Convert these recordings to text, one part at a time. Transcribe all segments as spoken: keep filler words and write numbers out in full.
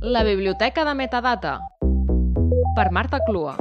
La biblioteca de metadata, per Marta Clua.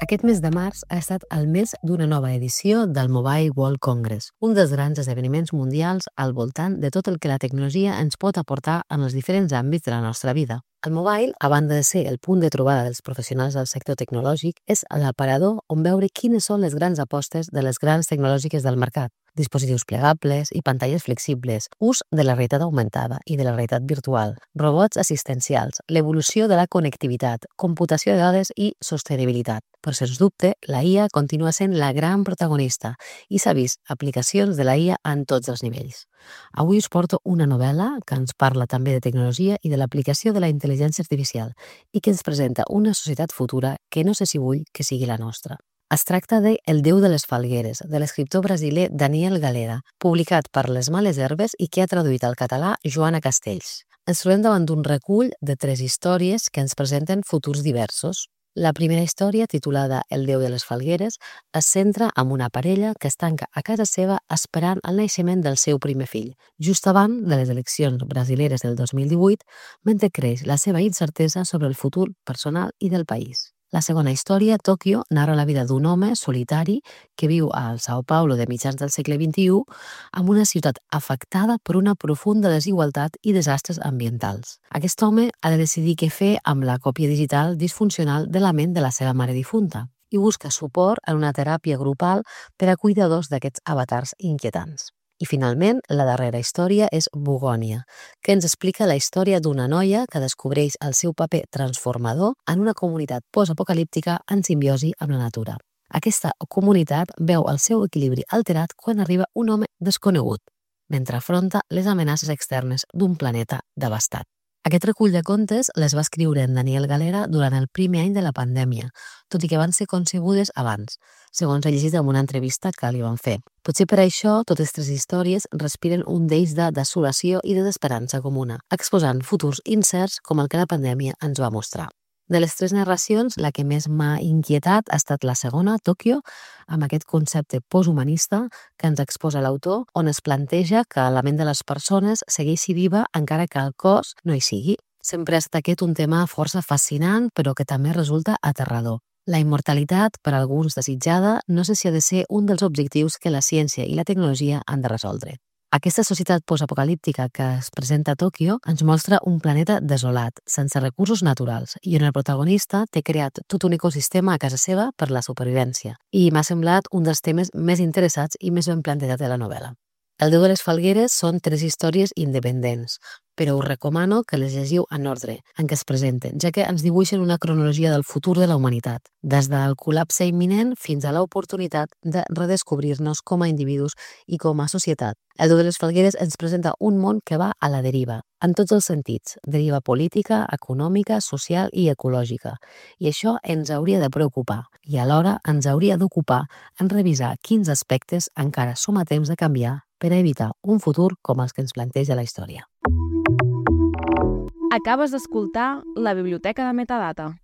Aquest mes de març ha estat el mes d'una nova edició del Mobile World Congress, un dels grans esdeveniments mundials al voltant de tot el que la tecnologia ens pot aportar en els diferents àmbits de la nostra vida. El mobile, a banda de ser el punt de trobada dels professionals del sector tecnològic, és l'aparador on veure quines són les grans apostes de les grans tecnològiques del mercat. Dispositius plegables i pantalles flexibles, ús de la realitat augmentada i de la realitat virtual, robots assistencials, l'evolució de la connectivitat, computació de dades i sostenibilitat. Però, sens dubte, la I A continua sent la gran protagonista i s'ha vist aplicacions de la I A en tots els nivells. Avui us porto una novel·la que ens parla també de tecnologia i de l'aplicació de la intel·ligència artificial i que ens presenta una societat futura que no sé si vull que sigui la nostra. Es tracta de El Déu de les Falgueres, de l'escriptor brasiler Daniel Galera, publicat per Les Males Herbes i que ha traduït al català Joana Castells. Ens trobem davant d'un recull de tres històries que ens presenten futurs diversos. La primera història, titulada El Déu de les Falgueres, es centra en una parella que es tanca a casa seva esperant el naixement del seu primer fill, just abans de les eleccions brasileres del dos mil divuit, mentre creix la seva incertesa sobre el futur personal i del país. La segona història, Tòquio, narra la vida d'un home solitari que viu al São Paulo de mitjans del segle vint-i-u amb una ciutat afectada per una profunda desigualtat i desastres ambientals. Aquest home ha de decidir què fer amb la còpia digital disfuncional de la ment de la seva mare difunta i busca suport en una teràpia grupal per a cuidadors d'aquests avatars inquietants. I finalment, la darrera història és Bugònia, que ens explica la història d'una noia que descobreix el seu paper transformador en una comunitat postapocalíptica en simbiosi amb la natura. Aquesta comunitat veu el seu equilibri alterat quan arriba un home desconegut, mentre afronta les amenaces externes d'un planeta devastat. Aquest recull de contes les va escriure en Daniel Galera durant el primer any de la pandèmia, tot i que van ser concebudes abans, segons he llegit en una entrevista que li van fer. Potser per això totes tres històries respiren un deix de desolació i de desesperança comuna, exposant futurs incerts com el que la pandèmia ens va mostrar. De les tres narracions, la que més m'ha inquietat ha estat la segona, Tòquio, amb aquest concepte posthumanista que ens exposa l'autor, on es planteja que la ment de les persones segueixi viva encara que el cos no hi sigui. Sempre ha estat aquest un tema força fascinant, però que també resulta aterrador. La immortalitat, per alguns desitjada, no sé si ha de ser un dels objectius que la ciència i la tecnologia han de resoldre. Aquesta societat postapocalíptica que es presenta a Tòquio ens mostra un planeta desolat, sense recursos naturals, i on el protagonista té creat tot un ecosistema a casa seva per la supervivència. I m'ha semblat un dels temes més interessats i més ben plantejats de la novel·la. El Déu de les Falgueres són tres històries independents, però us recomano que les llegiu en ordre en què es presenten, ja que ens dibuixen una cronologia del futur de la humanitat, des del col·lapse imminent fins a l'oportunitat de redescobrir-nos com a individus i com a societat. El Déu de les Falgueres ens presenta un món que va a la deriva, en tots els sentits, deriva política, econòmica, social i ecològica. I això ens hauria de preocupar i alhora ens hauria d'ocupar en revisar quins aspectes encara som a temps de canviar per a evitar un futur com els que ens planteja la història. Acabes d'escoltar La Biblioteca de Metadata.